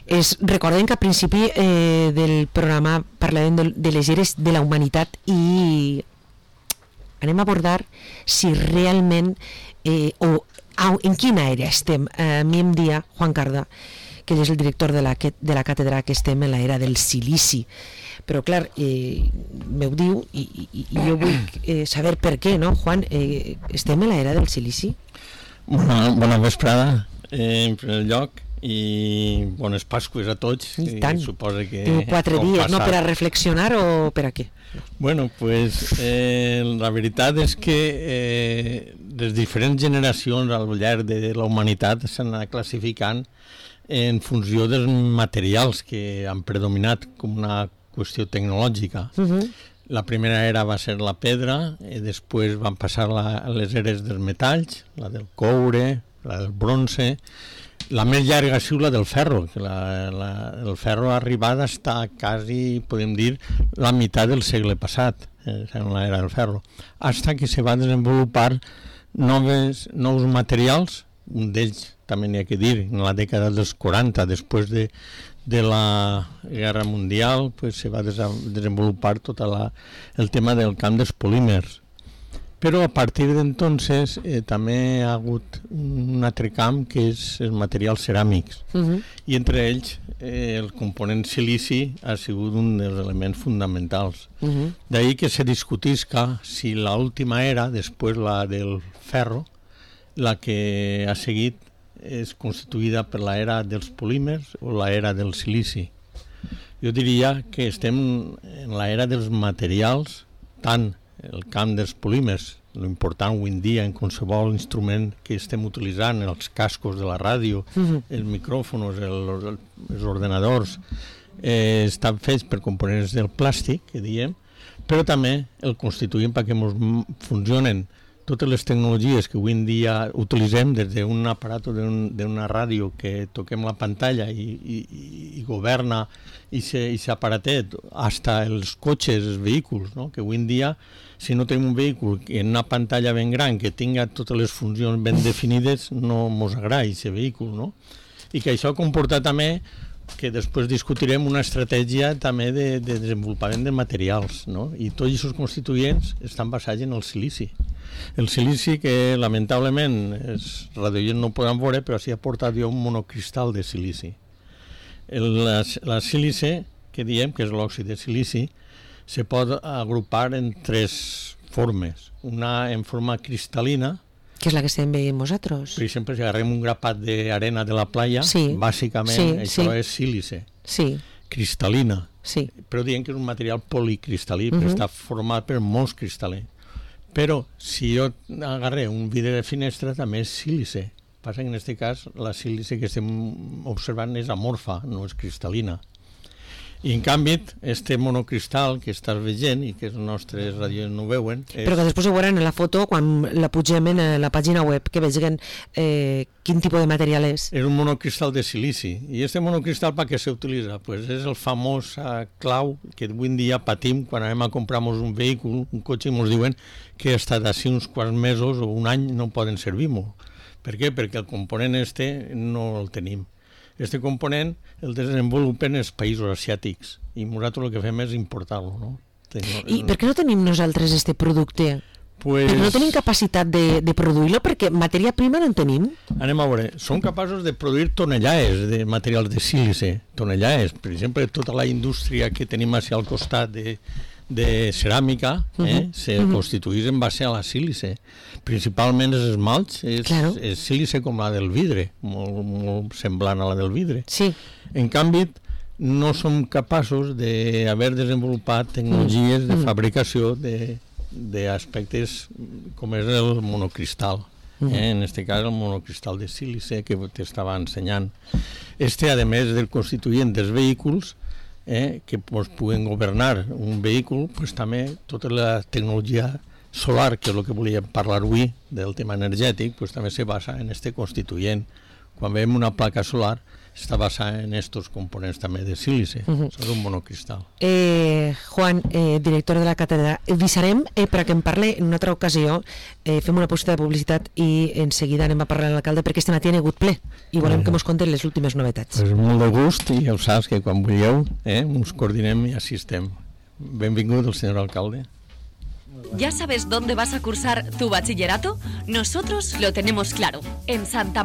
Recordem que al principi del programa parlàvem de les eres de la humanitat i anem a abordar si realment en quina era estem. A mi em dia Juan Carda, que és el director de la càtedra, que estem en l'era del silici, però clar, m'ho diu i jo vull saber per què, no, Juan? Estem en l'era del silici? Bona vesprada, en primer lloc, i bones Pasques a tots. I tant. Suposa que 4 dies, no, per a reflexionar o per a què? Bueno, pues la veritat és que les diferents generacions al llarg de la humanitat s'han anat classificant en funció dels materials que han predominat com una qüestió tecnològica. La primera era va ser la pedra, i després van passar les eres dels metalls, la del coure, la del bronze. La més llarga ha sigut la del ferro, que el ferro ha arribat a estar quasi, podem dir, la meitat del segle passat, en l'era del ferro, fins que se va desenvolupar nous materials, un d'ells també n'hi ha que dir, en la dècada dels 40, després de la Guerra Mundial, pues se va desenvolupar tot el tema del camp dels polímers. Però a partir d'entonces també hi ha hagut un altre camp que és els materials ceràmics, i entre ells el component silici ha sigut un dels elements fonamentals. D'ahir que se discutisca si l'última era, després la del ferro, la que ha seguit és constituïda per l'era dels polímers o l'era del silici. Jo diria que estem en l'era dels materials, tant el camp dels polímers, l'important avui en dia en qualsevol instrument que estem utilitzant, els cascos de la ràdio, els micròfons, els ordenadors, estan fets per components del plàstic, que diem, però també el constituïm perquè funcionen totes les tecnologies que avui en dia utilitzem, des d'un aparat d'una ràdio que toquem la pantalla i governa aquest aparatet, fins els cotxes, els vehicles, no? Que avui en dia, si no tenim un vehicle en una pantalla ben gran que tinga totes les funcions ben definides, no ens agrada aquest vehicle, no? I que això comporta també que després discutirem una estratègia també de desenvolupament de materials, no? I tots aquests constituents estan basats en el silici. El silici que lamentablement els radioients no poden veure, però sí ha portat jo un monocristal de silici. La sílice, que diem que és l'òxid de silici, se pot agrupar en 3 formes. Una en forma cristal·lina, que és la que estem veient nosaltres. Per exemple, si agarrem un grapat d'arena de la playa, bàsicament això és sílice, cristal·lina, però diem que és un material policristal·lí, perquè està format per molts cristal·lins. Però si jo agarré un vidre de finestra també és sílice. Passa que en aquest cas la sílice que estem observant és amorfa, no és cristal·lina. I en canvi, este monocristal que estàs veient i que els nostres radios no veuen... Però que després ho veuran en la foto quan la pugem en la pàgina web, que vegin quin tipus de material és. És un monocristal de silici. I este monocristal per què s'utilitza? Pues és el famós clau que avui en dia patim quan anem a comprar-nos un vehicle, un cotxe, i ens diuen que hasta d'ací uns quants mesos o un any no poden servir-nos. Per què? Perquè el component no el tenim. Este component el desenvolupen els països asiàtics i nosaltres el que fem és importar-lo, no? I per què no tenim nosaltres este producte? Perquè no tenim capacitat de produir-lo, perquè matèria prima no en tenim. Anem a veure, som capaços de produir tonelajes de materials de sílice, tonelajes, per exemple, tota la indústria que tenim al costat de ceràmica se constitueix en base a la sílice. Principalment els esmalts és sílice com la del vidre, molt semblant a la del vidre. En canvi, no som capaços d'haver desenvolupat tecnologies de fabricació d'aspectes com és el monocristal. En aquest cas, el monocristal de sílice que t'estava ensenyant. A més del constituent dels vehicles, que puguen governar un vehicle, també tota la tecnologia solar, que és el que volíem parlar avui, del tema energètic, també se basa en este constituent, quan veiem una placa solar, està basada en estos components també de sílice, és un monocristal. Juan, director de la càtedra, avisarem perquè em parli en una altra ocasió, fem una pausa de publicitat i en seguida anem a parlar amb l'alcalde perquè este matí ha hagut ple i volem que mos conten les últimes novetats. Pues molt de gust i ja ho saps que quan vulgueu ens coordinem i assistem. Benvingut el senyor alcalde. ¿Ya sabes dónde vas a cursar tu bachillerato? Nosotros lo tenemos claro. En Santa